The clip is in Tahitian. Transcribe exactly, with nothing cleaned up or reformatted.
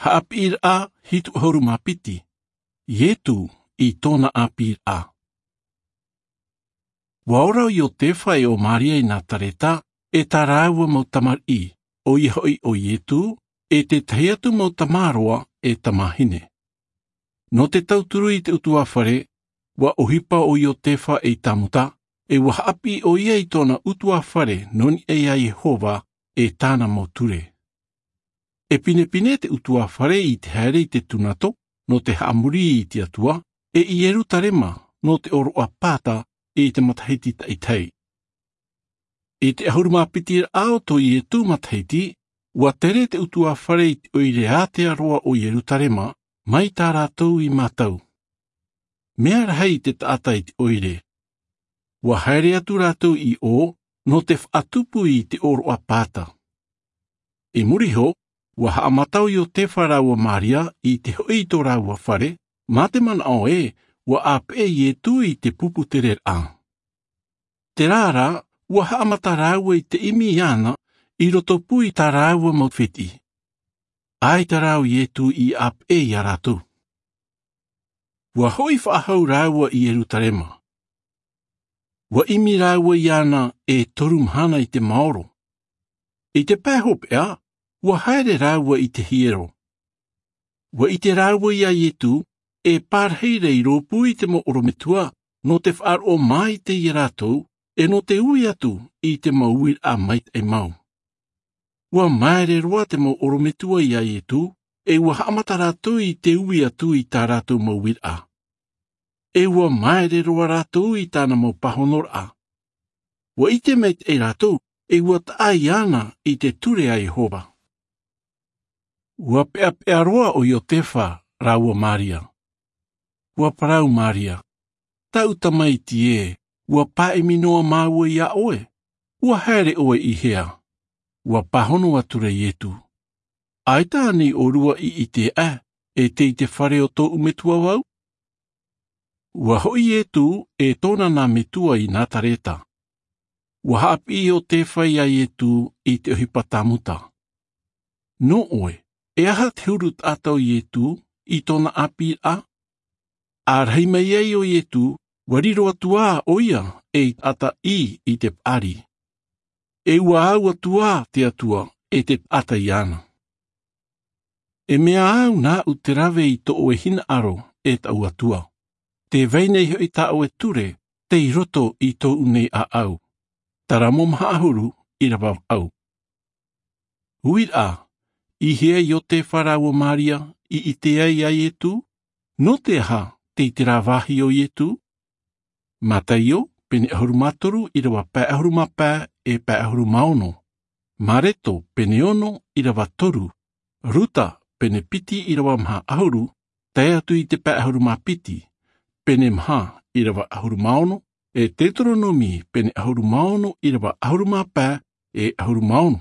Haʻapiʻiraʻa hitu ʻahuru mā piti. Ietu i tōna ʻāpīraʻa. Ua ora ʻo Iotefa e ʻo Maria i Nazareta, e tā rāua mau tamariʻi, ʻoia hoʻi ʻo Ietu, e te tahi atu mau tamāroa e tamāhine. Nō te tauturu i te ʻutuāfare, ua ʻohipa ʻo Iotefa ei tāmuta, e ua haʻapiʻi ʻoia i tōna ʻutuāfare nō niʻa iā Iehova, e tāna mau ture. E pinepine te ʻutuāfare i te haere i te tūnato, nō te haʻamori i te Atua, e i Ierutarema, nō te ʻōroʻa Pāta, i te matahiti taʻitahi. I te ʻahuru mā piti raʻa o tō Ietu matahiti, ua tere te ʻutuāfare i te ʻoire ātea roa o Ierutarema, mai tā rātou i mātau. Mea rahi te taʻata i te ʻoire. Ua haere atu rātou i ʻō, nō te faʻatupu i te ʻōroʻa Pāta. I muri iho, ua haʻamata ʻo Iotefa rāua Maria i te hoʻi i tō rāua fare, mā te manaʻo ē, ua ʻāpeʻe Ietu i te pupu tereraʻa. Terā rā, ua haʻamata rāua i te ʻimi iāna, i roto pū i tā rāua mau fetiʻi. ʻAita rā ʻo Ietu i ʻāpeʻe iā rātou. Ua hoʻi faʻahou rāua i Ierutarema. Ua ʻimi rāua iāna e toru mahana i te maoro. I te pae hopeʻa, ua haere rāua i te hiero. Ua ʻite rāua iā Ietu, e pārahi ra i rōpū i te mau ʻorometua, nō te faʻaroʻo māite iā rātou, e nō te ui atu i te mau uiraʻa maitaʻi mau. Ua māere roa te mau ʻorometua iā Ietu, e ua haʻamata rātou i te ui atu i tā rātou mau uiraʻa. E ua māere roa rātou i tāna mau pāhonoraʻa. Ua ʻite maitaʻi rātou, e ua taʻa iāna i te ture a Iehova. Ua peʻapeʻa roa ʻo Iotefa rāua Maria. Ua parau Maria, "Taʻu tamaiti ē, ua pāʻimi noa māua iā ʻoe, ua haere ʻoe i hea?" Ua pāhono atu ra Ietu, "ʻAita ānei ʻōrua i ʻite aʻe, e tei te fare o tōʻu metua vau?" Ua hoʻi Ietu e tōna nā metua i Nazareta. Ua haʻapiʻi Iotefa iā Ietu i te ʻohipa tāmuta. "Nō ʻoe, e aha te huru taʻata o Ietu i tōna ʻāpīraʻa?" ʻĀrahi mai ai ʻo Ietu, ua riro atu ā ʻoia ei taʻata ʻī i te paʻari. E ua au atu ā te Atua e te taʻata iāna. "E mea au nāʻu te rave i tō ʻoe hinaʻaro, e taʻu Atua. Tē vai nei hoʻi tā ʻoe ture, tei roto i tōʻu nei ʻāʻau." Taramo maha ʻahuru, ʻīrava vaʻu. Uiraʻa, i hea Iotefa rāua Maria i ʻite ai iā Ietu? Nō te aha tei terā vāhi ʻo Ietu? Mataio, pene ʻahuru mā toru, ʻīrava pae ʻahuru mā pae, e pae ʻahuru mā ono. Mareko, pene ono, ʻīrava toru. Ruta, pene piti, ʻīrava maha ʻahuru, tae atu i te pae ʻahuru mā piti. Pene maha, ʻīrava ʻahuru mā ono, e Teuteronome, pene ʻahuru mā ono, ʻīrava ʻahuru mā pae, e ʻahuru mā ono.